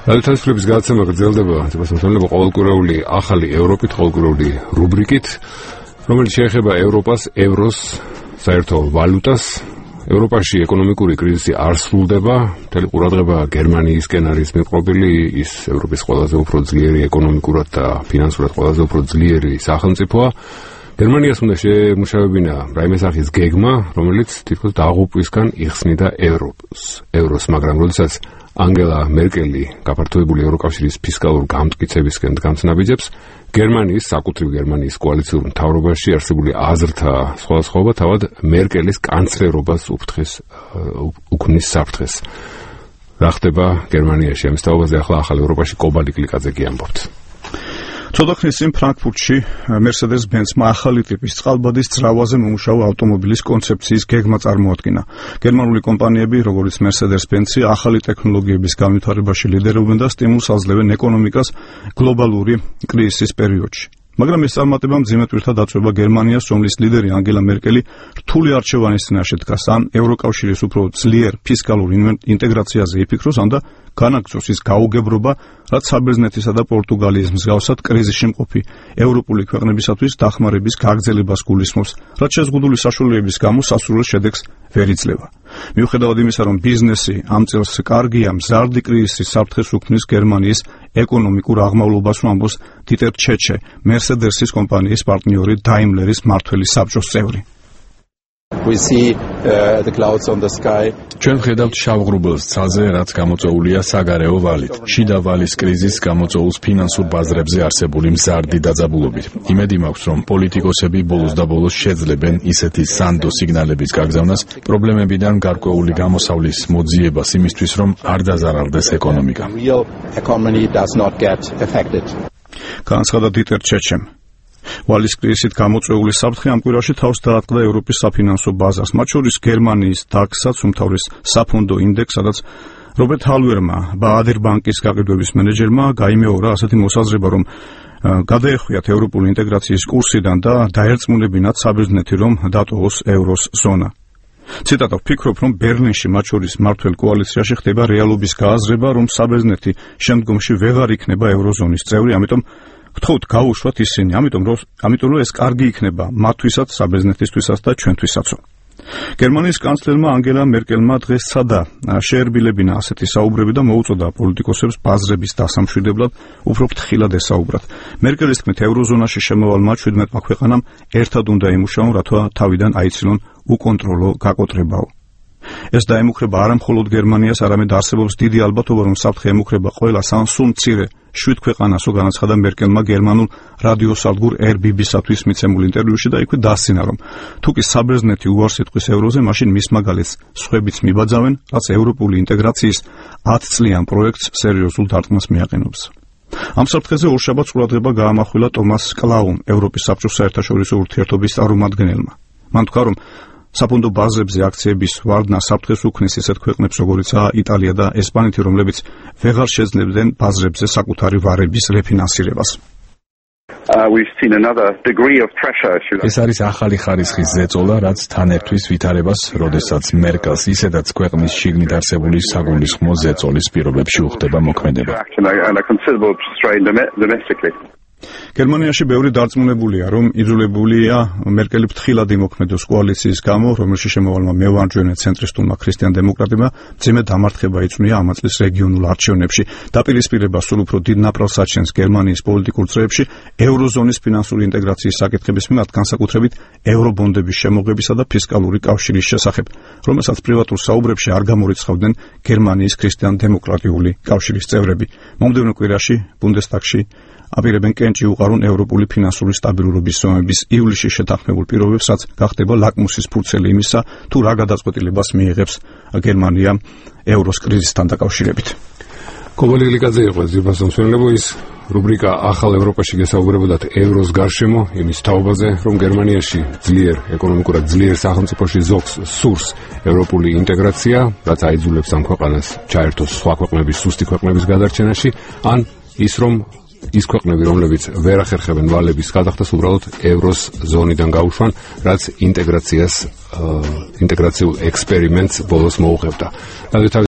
რადიოთვალისწინების გადაცემა გრძელდება, თვითონ ყოველკვირეული ახალი ევროპით, ყოველკვირეული რუბრიკით, რომელიც შეეხება ევროპას, ევროს, საერთო ვალუტას. ევროპაში ეკონომიკური კრიზისი არ სრულდება, მთელი ყურადღება გერმანიისკენ არის მიყრობილი, ის ევროპის ყველაზე უფრო ძლიერი ეკონომიკურად და ფინანსურად ყველაზე უფრო ძლიერი სახელმწიფოა. გერმანიას უნდა შეემუშავებინა რაიმე სახის გეგმა, რომელიც თითქოს დაღუპვისგან იხსნიდა ევროს, მაგრამ როდესაც ანგელა მერკელი გაფართოებული ევროკავშირის ფისკალურ გამტკიცებისკენ დგამს ნაბიჯებს, გერმანიის, საკუთრივ გერმანიის კოალიციურ მთავრობაში არსებული აზრთა სხვადასხვაობა თავად მერკელის კანცლერობას უქმნის საფრთხეს. რა ხდება გერმანიაში? ამის თაობაზე ახლა ახალ ევროპაში კობალი კლიკაძე გიამბობთ. ცოტა ხნის წინ ფრანკფურტში Mercedes-Benz-მა ახალი ტიპის წყალბადის ძრავაზე მომუშავე ავტომობილის კონცეფციის გეგმა წარმოადგინა. გერმანული კომპანიები, როგორც Mercedes-Benz, ახალი ტექნოლოგიების განვითარებაში ლიდერობენ და სტიმულს აძლევენ ეკონომიკას გლობალური კრიზისის პერიოდში. მაგრამ ეს წარმატება მძიმე ტვირთა დაწვება გერმანიას, რომლის ლიდერი ანგელა მერკელი რთული არჩევანის წინაშე დგას, ან ევროკავშირის უფრო ძლიერ ფისკალურ ინტეგრაციაზე იფიქროს, ან და განაგრძოს ის გაუგებრობა, რაც საბერძნეთისა და პორტუგალიის მსგავსად კრიზისში მყოფი ევროპული ქვეყნებისათვის დახმარების გაგრძელებას გულისხმობს, რაც შეზღუდული საშუალებების გამო სასურველ შედეგს ვერ იძლევა. მიუხედავად იმისა, რომ ბიზნესი ამ წელს კარგია, მზარდი კრიზისის საფრთხეს უქმნის გერმანიის ეკონომიკურ აღმავლობას, ამბობს დიტერ ჩეჩე, Mercedes-ის კომპანიის პარტნიორი Daimler-ის მმართველი საბჭოს წევრი. ჩვენ ვხედავთ შავ ღრუბელს ცაზე, რაც გამოწვეულია საგარეო ვალით. შიდა ვალის კრიზისს გამოწვეულს ფინანსურ ბაზრებზე არსებული მზარდი დაძაბულობით. იმედი მაქვს, რომ პოლიტიკოსები ბოლოს და ბოლოს შეძლებენ ისეთი სანდო სიგნალების გაგზავნას, პრობლემებიდან გარკვეული გამოსავლის მოძიებას იმისთვის, რომ არ დაზარალდეს ეკონომიკა. განაცხადა დიტერ ჩეჩემ. ვალის კრიზისით გამოწვეული საფრთხე ამ კვირაში თავს დაატყდა ევროპის საფინანსო ბაზარს, მათ შორის გერმანიის DAX-ს, უმთავრეს საფონდო ინდექსს, სადაც რობერტ ჰალვერმა, ბაადერ ბანკის გაყიდვების მენეჯერმა გაიმეორა ასეთი მოსაზრება, რომ გადაეხვიათ ევროპული ინტეგრაციის კურსიდან და დაერწმუნებინათ საბერძნეთი, რომ დატოვოს ევროს ზონა. ციტატა: ვფიქრობ, რომ ბერლინში მათ შორის მმართველ კოალიციაში ხდება რეალობის გააზრება, რომ საბერძნეთი შემდგომში ვეღარ იქნება ევროზონის წევრი, ამიტომ გთხოვთ გაუშვათ ისინი, ამიტომ რომ ეს კარგი იქნება მათთვისაც, საბერძნეთისთვისაც და ჩვენთვისაც. გერმანიის კანცლერმა ანგელა მერკელმა დღეს სცადა შეერბილებინა ასეთი საუბრები და მოუწოდა პოლიტიკოსებს ბაზრების დასამშვიდებლად უფრო ფრთხილად ესაუბრათ. მერკელის თქმით, ევროზონაში შემავალმა 17 ქვეყანამ ერთად უნდა იმუშაონ, რათა თავიდან აიცილონ უკონტროლო გაკოტრებაო. ეს დაემუქრება არა მხოლოდ გერმანიას, არამედ არსებობს დიდი ალბათობა, რომ საფრთხე ემუქრება ყველას, ან სულ მცირე 7 ქვეყანასო, განაცხადა მერკელმა გერმანულ რადიოსადგურ RBB-სათვის მიცემულ ინტერვიუში და იქვე დასცინა, რომ თუკი საბერძნეთი უარს იტყვის ევროზე, მაშინ მის მაგალითს სხვებიც მიბაძავენ, რაც ევროპული ინტეგრაციის 10 წლიან პროექტს სერიოზულ დარტყმას მიაყენებს. ამ საფრთხეზე ორშაბათს ყურადღება გაამახვილა ტომას კლაუმ, ევროპის საბჭოს საერთაშორისო ურთიერთობის წარმომადგენელმა. მან თქვა, რომ საფონდო ბაზრებზე აქციების ვარდნა საფრთხეს უქმნის ისეთ ქვეყნებს, როგორიცაა იტალია და ესპანეთი, რომლებიც ვეღარ შეძლებდნენ ბაზრებზე საკუთარი ვარების რეფინანსირებას. ეს არის ახალი ხარისხის ზეწოლა, რაც თან ერთვის ვითარებას, როდესაც მერკელს ისედაც ქვეყნის შიგნით არსებული საგულისხმო ზეწოლის პირობებში უხდება მოქმედება. გერმანიაში ბევრი დარწმუნებულია, რომ იძულებულია მერკელი ფრთხილად იმოქმედოს კოალიციის გამო, რომელშიც შემოვალმა მევარჯვენე ცენტრისტულმა ქრისტიან დემოკრატებმა მძიმე დამარცხება იწვნია ამ წლის რეგიონულ არჩევნებში. დაპირისპირება სულ უფრო დიდ ნაპრალს აჩენს გერმანიის პოლიტიკურ წრეებში ევროზონის ფინანსური ინტეგრაციის საკითხების მიმართ, განსაკუთრებით ევრობონდების შემოღებისა და ფისკალური კავშირის შესახებ, რომელსაც პრივატურ საუბრებში არ გამორიცხავდნენ გერმანიის ქრისტიან დემოკრატიული კავშირის წევრები. მომდევნო კვირაში ბუნდესტაგში აპირებენ კენჭი უყარონ ევროპული ფინანსური სტაბილურობის ზომების ივლისში შეთანხმებულ პირობებს, რაც გახდება ლაკმუსის ფურცელი იმისა, თუ რა გადაწყვეტილებას მიიღებს გერმანია ევროს კრიზისთან დაკავშირებით. კობალი კლიკაძე იყო ზირფასმცველებო, ის რუბრიკა ახალ ევროპაში გესაუბრებოდათ ევროს გარშემო, იმის თაობაზე, რომ გერმანიაში ძლიერ ეკონომიკურად ძლიერ სახელმწიფოში ზოგს სურს ევროპული ინტეგრაცია, რაც აიძულებს ამ ქვეყანას ჩაერთოს სხვა ქვეყნების, სუსტი ქვეყნების გადარჩენაში, ან ის რომ ის ქვეყნები, რომლებიც ვერ ახერხებენ ვალების გადახდას, უბრალოდ ევროს ზონიდან გაუშვან, რაც ინტეგრაციულ ექსპერიმენტს ბოლოს მოუღებდა.